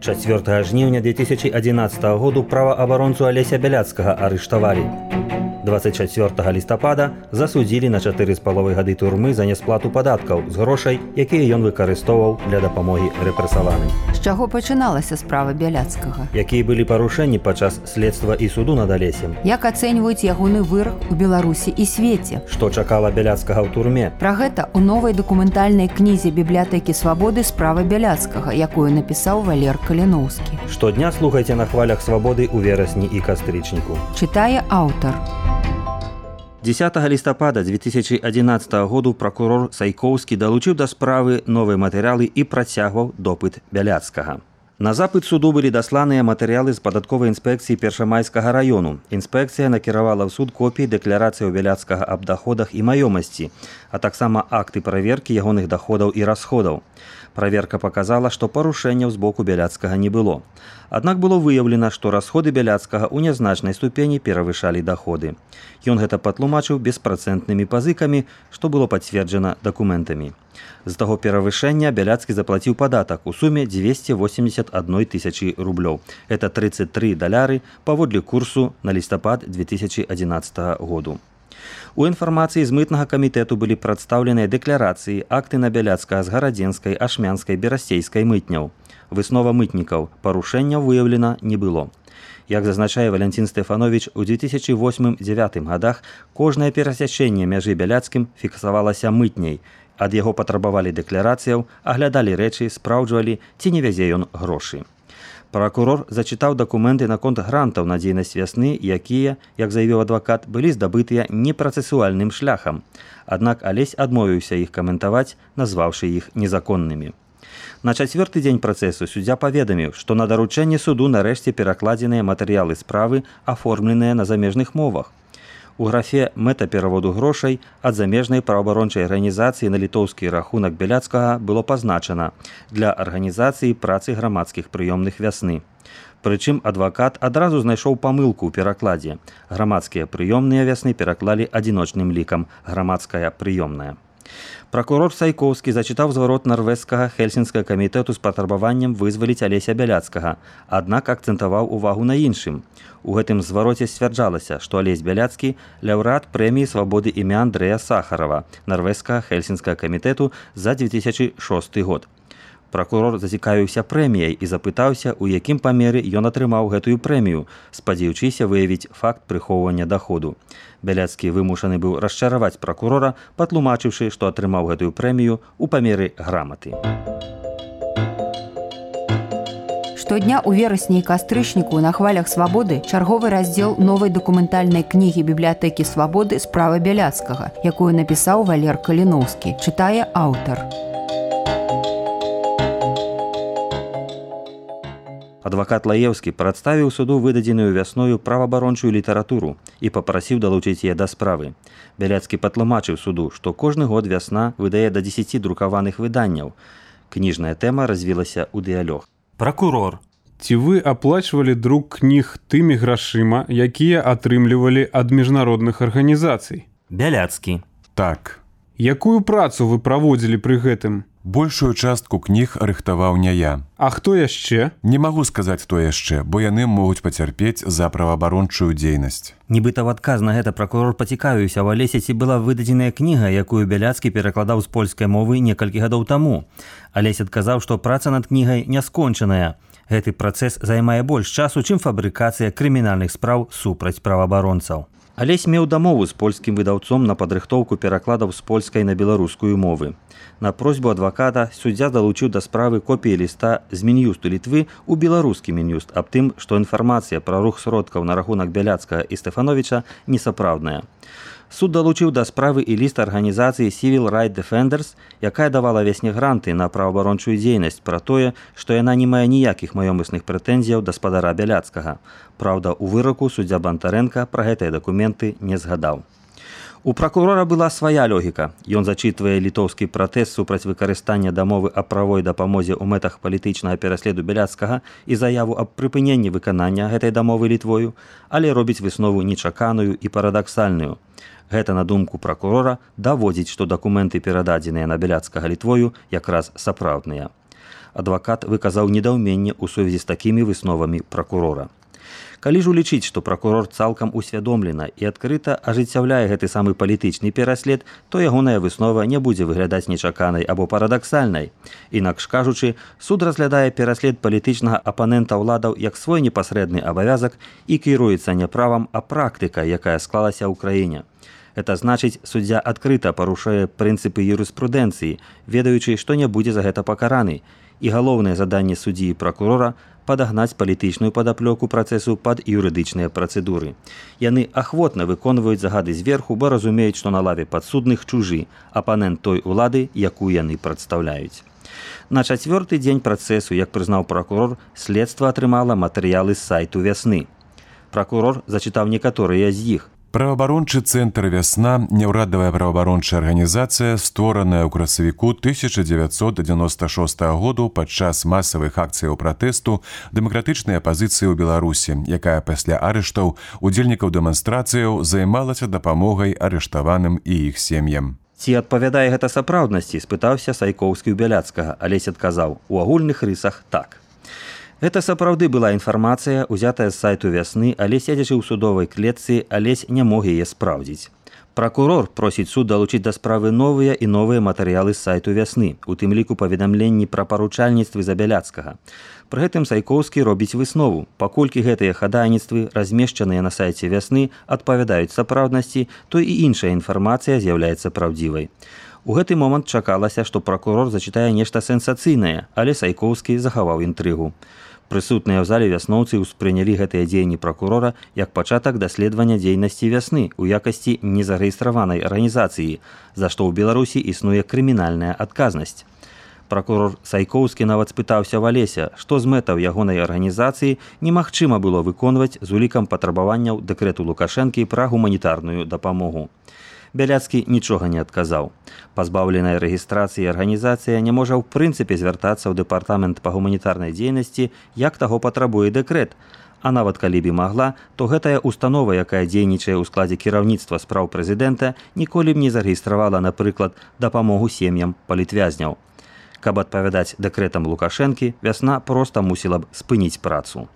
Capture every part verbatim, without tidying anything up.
чацвёртага жніўня две тысячи одиннадцатого году праваабаронцу Алеся Бяляцкага арыштавалі. двадцать чацвёртага лістапада засудзілі на чатыры з паловай гады турмы за нясплату падаткаў з грошай, якія ён выкарыстоўваў для дапамогі рэпрэсаваным. З чаго пачыналася справа Бяляцкага? Якія былі парушэнні падчас следства і суду над Алесем? Як ацэньваюць ягоны вырак у Беларусі і свеце? Што чакала Бяляцкага ў турме? Пра гэта ў новай дакументальнай кнізе бібліятэкі свабоды справа Бяляцкага, якую напісаў Валер Каліноўскі. Штодня слухайце на хвалях свабоды ў верасні і кастрычніку. Чытае аўтар. дзесятага лістапада две тысячи одиннадцатого году прокурор Сайкоўскі далучыў да справы новыя матэрыялы і працягваў допыт Бяляцкага. На запыт суду былі дасланыя матэрыялы з падатковай інспекцыі Першамайскага раёну. Інспекцыя накіравала ў суд копіі дэкларацыі Бяляцкага аб даходах і маёмасці, а таксама акты праверкі ягоных даходаў і расходаў. Праверка паказала, што парушэнняў з боку Бяляцкага не было. Аднак было выяўлена, што расходы Бяляцкага ў нязначнай ступені перавышалі даходы. Ён гэта патлумачыў беспрацэнтнымі пазыкамі, што было пацверджана дакументамі. З таго перавышэння Бяляцкі заплаціў падатак у суме дзвесце восемьдесят одна тысяча рублёў. Это тридцать три даляры паводле курсу на лістапад две тысячи одиннадцатого году. У інфармацыі з мытнага камітэту былі прадстаўленыя дэкларацыі, акты на Бяляцкага з гарадзенскай, ашмянскай, берасцейскай мытняў. Выснова мытнікаў, парушэнняў выяўлена не было. Як зазначае Валянцін Стэфановіч, у две тысячи восьмым — две тысячи дзевятым гадах кожнае перасячэнне мяжы Бяляцкім фіксавалася мытняй. Ад яго патрабавалі дэкларацыяў, аглядалі рэчы, спраўджвалі, ці не вязе ён грошы. Пракурор зачытаў дакументы наконт грантаў на дзейнасць вясны, якія, як заявіў адвакат, былі здабытыя непрацэсуальным шляхам. Аднак Алесь адмовіўся іх каментаваць, назваўшы іх незаконнымі. На чацвёрты дзень працэсу суддзя паведаміў, што на даручэнне суду нарэшце перакладзеныя матэрыялы справы, аформленыя на замежных мовах. У графе «Мэта пераводу грошай» ад замежнай праваабарончай арганізацыі на літоўскі рахунак Бяляцкага было пазначана для арганізацыі працы грамадскіх прыёмных вясны. Прычым адвакат адразу знайшоў памылку ў перакладзе. Грамадскія прыёмныя вясны пераклалі адзіночным лікам «грамадская прыёмная». Пракурор Сайкоўскі зачытаў зварот нарвежскага хельсінскага камітэту з патрабаваннем вызваліць Алеся Бяляцкага, аднак акцэнтаваў увагу на іншым. У гэтым звароце сцвярджалася, што Алесь Бяляцкі – лаўрэат прэміі свабоды імя Андрэя Сахарова, нарвежскага хельсінскага камітэту за две тысячи шосты год. Пракурор зацікавіўся прэміяй і запытаўся, у якім памеры ён атрымаў гэтую прэмію, спадзеючыся выявіць факт прыхоўвання даходу. Бяляцкі вымушаны быў расчараваць пракурора, патлумачыўшы, што атрымаў гэтую прэмію ў памеры граматы. Штодня ў верасні і кастрычніку на хвалях свабоды чарговы раздзел новай дакументальнай кнігі бібліятэкі свабоды справа Бяляцкага, якую напісаў Валер Каліноўскі, чытае аўтар. Адвакат Лаеўскі прадставіў суду выдадзеную вясною праваабарончую літаратуру і папрасіў далучыць яе да справы. Бяляцкі патлумачыў суду, што кожны год вясна выдае да дзесяці друкаваных выданняў. Кніжная тэма развілася ў дыялог. Пракурор. Ці вы аплачвалі друк кніг тымі грашыма, якія атрымлівалі ад міжнародных арганізацый? Бяляцкі. Так. Якую працу вы праводзілі пры гэтым? Большую частку кніг рыхтаваў не я. А хто яшчэ? Не магу сказаць, хто яшчэ, бо яны могуць пацярпець за праваабарончую дзейнасць. Нібыта ў адказ на гэта пракурор пацікавіўся, у Алесе ці была выдадзеная кніга, якую Бяляцкі перакладаў з польскай мовы некалькі гадоў таму. Алесь адказаў, што праца над кнігай не скончаная. Гэты працэс займае больш часу, чым фабрыкацыя крымінальных спраў супраць праваабаронцаў. Алесь меў дамову з польскім выдаўцом на падрыхтоўку перакладаў з польскай на беларускую мовы. На просьбу адваката суддзя далучыў да справы копіі ліста з Мін'юсту Літвы ў беларускі Мін'юст аб тым, што інфармацыя пра рух сродкаў на рахунак Бяляцкага і Стэфановіча несапраўдная. Суд далучыў да справы і ліст арганізацыі Civil Rights Defenders, якая давала вясне гранты на праваабарончую дзейнасць пра тое, што яна не мае ніякіх маёмасных прэтэнзіяў да спадара Бяляцкага. Праўда, у выраку суддзя Бантарэнка пра гэтыя дакументы не згадаў. У пракурора была свая логіка. Ён зачытвае літоўскі пратэст супраць выкарыстання дамовы аб правой дапамозе ў мэтах палітычнага пераследу Бяляцкага і заяву аб прыпыненні выканання гэтай дамовы Літвою, але робіць выснову нечаканую і парадаксальную. Гэта, на думку пракурора, даводзіць, што дакументы, перададзеныя на Бяляцкага Літвою, якраз сапраўдныя. адвакат выказаў недаўменне ў сувязі з такімі высновамі пракурора. Калі ж улічыць, што пракурор цалкам усвядомлена і адкрыта ажыццяўляе гэты самы палітычны пераслед, то ягоная выснова не будзе выглядаць нечаканай або парадаксальнай. Інакш кажучы, суд разглядае пераслед палітычнага апанента ўладаў як свой непасрэдны абавязак і кіруецца не правам, а практыкай, якая склалася ў краіне. Гэта значыць, суддзя адкрыта парушае прынцыпы юрыспрудэнцыі, ведаючы, што не будзе за гэта пакараны. І галоўнае заданне суддзі і пракурора – падагнаць палітычную падаплёку працэсу пад юрыдычныя працэдуры. Яны ахвотна выконваюць загады зверху, бо разумеюць, што на лаве падсудных чужы, апанент той улады, якую яны прадстаўляюць. На чацвёрты дзень працэсу, як прызнаў пракурор, следства атрымала матэрыялы з сайту «Вясны». Пракурор зачытаў некаторыя з іх. Праваабарончы цэнтр «Вясна» – няўрадавая праваабарончая арганізацыя, створаная ў красавіку тысяча дзевяцьсот дзевяноста шостага году падчас масавых акцыяў пратэсту дэмакратычнай апазіцыі ў Беларусі, якая пасля арыштаў удзельнікаў дэманстрацыяў займалася дапамогай арыштаваным і іх сем'ям. Ці адпавядае гэта сапраўднасці, спытаўся Сайкоўскі ў Бяляцкага, Алесь адказаў: у агульных рысах так. Гэта сапраўды была інфармацыя, узятая з сайту «Вясны», але седзячы ў судовай клетцы, Алесь не мог яе спраўдзіць. Пракурор просіць суд далучыць да справы новыя і новыя матэрыялы з сайту «Вясны», у тым ліку паведамленні пра паручальніцтвы за Бяляцкага. Пры гэтым Сайкоўскі робіць выснову. Паколькі гэтыя хадайніцтвы, размешчаныя на сайце «Вясны», адпавядаюць сапраўднасці, то і іншая інфармацыя з'яўляецца праўдзівай. У гэты момант чакалася, што пракурор зачытае нешта сенсацыйнае, але Сайкоўскі захаваў інтрыгу. Прысутныя ў зале вясноўцы ўспрынялі гэтыя дзеянні пракурора як пачатак даследавання дзейнасці «Вясны» у якасці незарэгістраванай арганізацыі, за што ў Беларусі існуе крымінальная адказнасць. Пракурор Сайкоўскі нават спытаўся ў Алеся, што з мэтаў ягонай арганізацыі немагчыма было выконваць з улікам патрабаванняў дэкрэту Лукашэнкі пра гуманітарную дапамогу. Бяляцкі нічога не адказаў. Пазбаўленая рэгістрацыі арганізацыя не можа ў прынцыпе звяртацца ў дэпартамент па гуманітарнай дзейнасці, як таго патрабуе дэкрэт. А нават калі б і магла, то гэтая установа, якая дзейнічае ў складзе кіраўніцтва спраў прэзідэнта, ніколі б не зарэгістравала, напрыклад, дапамогу сем'ям палітвязняў. Каб адпавядаць дэкрэтам Лукашэнкі, «Вясна» проста мусіла б спыніць працу.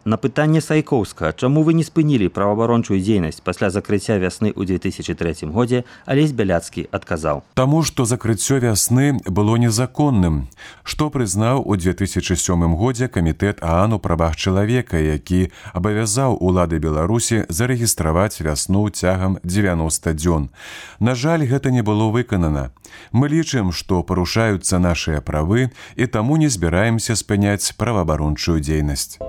На пытанне Сайкоўска, чаму вы не спынілі праваабарончую дзейнасць пасля закрыцця «Вясны» ў две тысячы трэцім годзе, Алесь Бяляцкі адказаў: Таму, што закрыццё «Вясны» было незаконным, што прызнаў у две тысячы сёмым годзе камітэт ААН у правах чалавека, які абавязаў улады Беларусі зарэгістраваць «Вясну» цягам дзевяноста дзён. На жаль, гэта не было выканана. Мы лічым, што парушаюцца нашыя правы, і таму не збіраемся спыняць праваабарончую дзейнасць.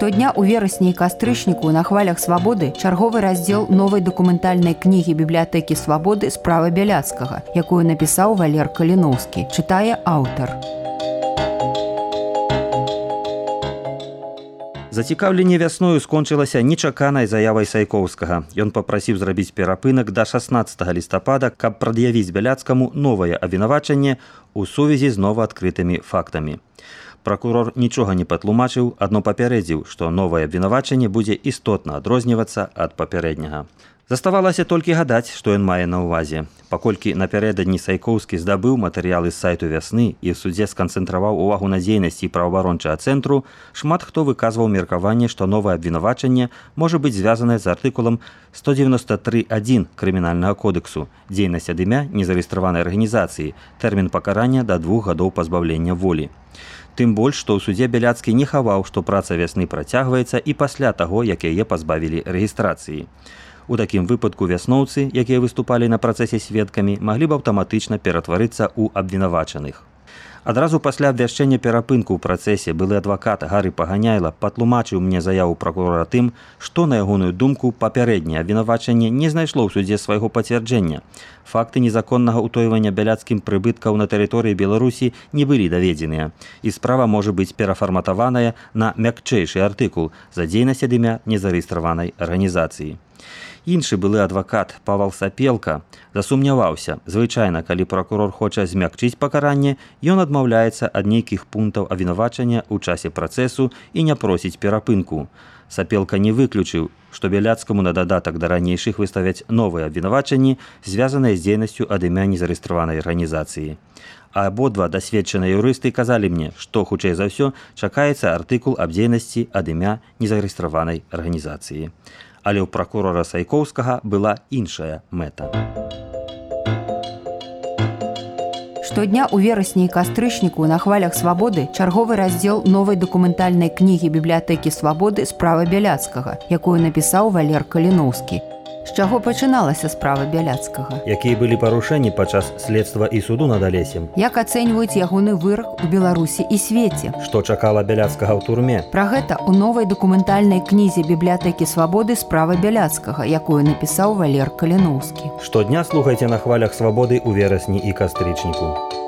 Штодня ў верасні і кастрычніку на хвалях свабоды чарговы раздзел новай дакументальнай кнігі бібліятэкі свабоды «Справа Бяляцкага», якую напісаў Валер Каліноўскі, чытае аўтар. Зацікаўленне «Вясною» скончылася нечаканай заявай Сайкоўскага. Ён папрасіў зрабіць перапынак да шаснаццатага лістапада, каб прад'явіць Бяляцкаму новае абвінавачанне ў сувязі з новаадкрытымі фактамі. Пракурор нічога не патлумачыў, адно папярэдзіў, што новае абвінавачанне будзе істотна адрознівацца ад папярэдняга. Заставалася толькі гадаць, што ён мае на ўвазе. Паколькі напярэдадні Сайкоўскі здабыў матэрыялы з сайту «Вясны» і ў судзе сканцэнтраваў увагу на дзейнасці праваабарончага цэнтру, шмат хто выказваў меркаванне, што новае абвінавачанне можа быць звязанае з артыкулам сто дзевяносто тры адзін крымінальнага кодексу «Дзейнасць ад імя незарэгістраванай арганізацыі», тэрмін пакарання да двух гадоў пазбаўлення волі. Тым больш, што ў судзе Бяляцкі не хаваў, што праца «Вясны» працягваецца і пасля таго, як яе пазбавілі рэгістрацыі. У такім выпадку вясноўцы, якія выступалі на працэсе сведкамі, маглі б аўтаматычна ператварыцца ў абвінавачаных. Адразу пасля абвяшчэння перапынку ў працэсе былы адвакат Гары Паганяйла патлумачыў мне заяву пракурора тым, што, на ягоную думку, папярэдняе абвінавачанне не знайшло ў судзе свайго пацвярджэння. Факты незаконнага ўтойвання бяляцкім прыбыткаў на тэрыторыі Беларусі не былі даведзеныя, і справа можа быць перафарматаваная на мякчэйшы артыкул за дзейнасць ад імя незарэгістраванай арганізацыі. Іншы былы адвакат Павал Сапелка засумняваўся. Звычайна, калі пракурор хоча змякчыць пакаранне, ён адмаўляецца ад нейкіх пунктаў абвінавачання ў часе працэсу і не просіць перапынку. Сапелка не выключыў, што Бяляцкаму на дадатак да ранейшых выставяць новыя абвінавачанні, звязаныя з дзейнасцю ад імя незарэгістраванай арганізацыі. А абодва дасведчаныя юрысты казалі мне, што, хутчэй за ўсё, чакаецца артыкул аб дзейнасці ад імя незарэгістраванай арганізацыі. Але ў пракурора Сайкоўскага была іншая мэта. Штодня ў верасні і кастрычніку на хвалях свабоды чарговы раздзел новай дакументальнай кнігі бібліятэкі свабоды «Справа Бяляцкага», якую напісаў Валер Каліноўскі. З чаго пачыналася справа Бяляцкага? Якія былі парушэнні падчас следства і суду над Алесем? Як ацэньваюць ягоны вырак у Беларусі і свеце? Што чакала Бяляцкага ў турме? Пра гэта ў новай дакументальнай кнізе бібліятэкі свабоды «Справа Бяляцкага», якую напісаў Валер Каліноўскі. Штодня слухайце на хвалях свабоды ў верасні і кастрычніку.